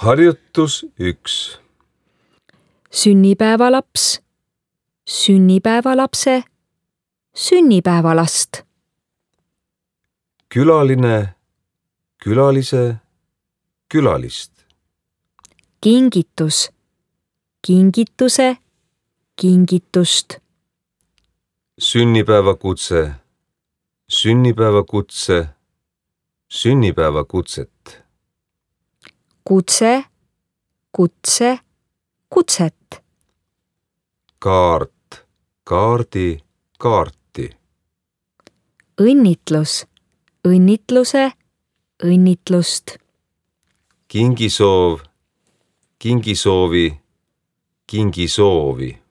Harjutus 1. Sünnipäevalaps, sünnipäevalapse, sünnipäevalast. Külaline, külalise, külalist. Kingitus, kingituse, kingitust. Sünnipäevakutse, sünnipäevakutse, sünnipäevakutset. Kutse, kutse, kutset. Kaart, kaardi, kaarti. Õnnitlus, õnnitluse, õnnitlust. Kingisoov, kingisoovi, kingisoovi.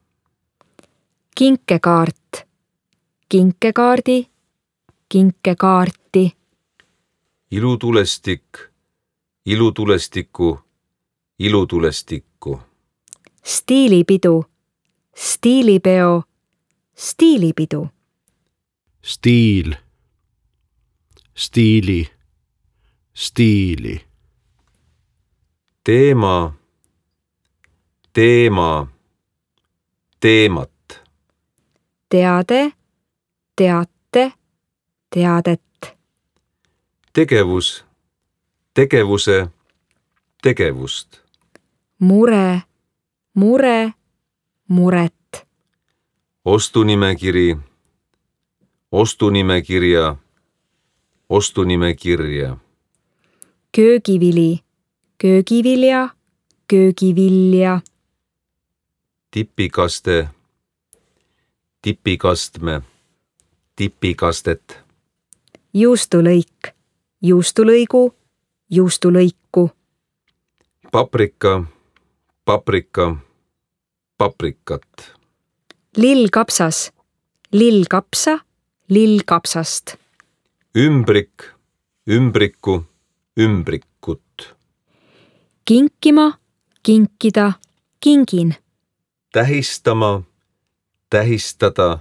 Kinkekaart, kinkekaardi, kinkekaarti. Ilutulestik, ilutulestiku, ilutulestikku. Stiilipidu, stiilipeo, stiilipidu. Stiil, stiili, stiili. Teema, teema, teemat. Teade, teate, teadet. Tegevus, tegevuse, tegevust. Mure, mure, muret. Ostunimekiri, ostunimekirja, ostunimekirja. Köögivili, köögivilja, köögivilja. Tipikaste, tipikastme, tipikastet. Juustulõik, juustulõigu, juustulõiku. Paprika, paprika, paprikat. Lillkapsas, lillkapsa, lillkapsast. Ümbrik, ümbriku, ümbrikut. Kinkima, kinkida, kingin. Tähistama, tähistada,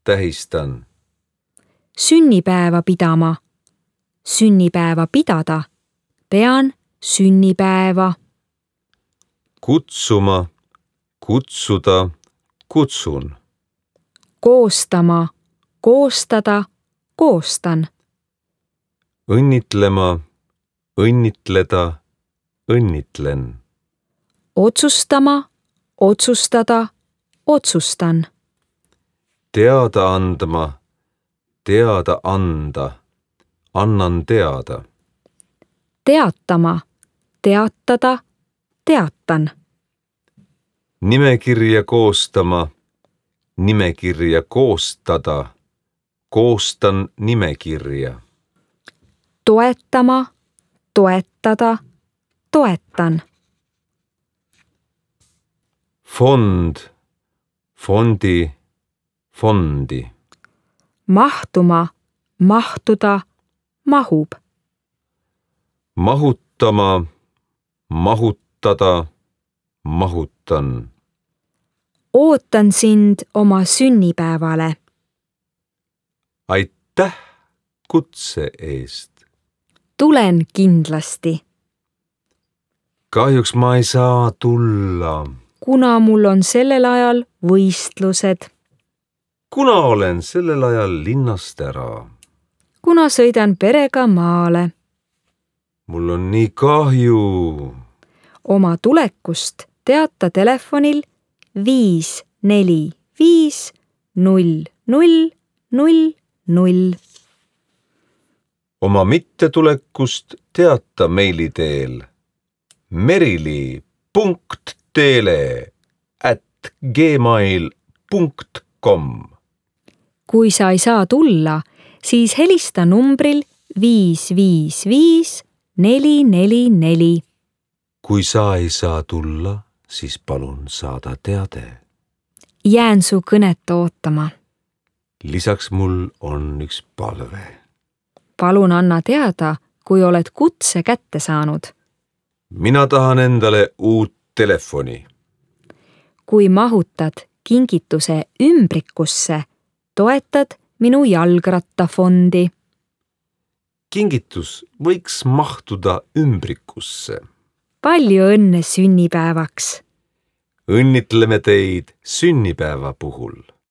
tähistan. Sünnipäeva pidama, sünnipäeva pidada, pean sünnipäeva. Kutsuma, kutsuda, kutsun. Koostama, koostada, koostan. Õnnitlema, õnnitleda, õnnitlen. Otsustama, otsustada, otsustan. Teada andma, teada anda, annan teada. Teatama, teatada, teatan. Nimekirja koostama, nimekirja koostada, koostan nimekirja. Toetama, toetada, toetan. Fond, fondi, fondi. Mahtuma, mahtuda, mahub. Mahutama, mahutada, mahutan. Ootan sind oma sünnipäevale. Aitäh kutse eest. Tulen kindlasti. Kahjuks ma ei saa tulla. Kuna mul on sellel ajal võistlused. Kuna olen sellel ajal linnast ära. Kuna sõidan perega maale. Mul on nii kahju. Oma tulekust teata telefonil 545 0000. Oma mittetulekust teata meili teel merili.teele@gmail.com. Kui sa ei saa tulla, siis helista numbril 555 444. Kui sa ei saa tulla, siis palun saada teade. Jään su kõnet ootama. Lisaks mul on üks palve. Palun anna teada, kui oled kutse kätte saanud. Mina tahan endale uut telefoni. Kui mahutad kingituse ümbrikusse, toetad minu jalgrattafondi. Kingitus võiks mahtuda ümbrikusse. palju õnne sünnipäevaks! õnnitleme teid sünnipäeva puhul.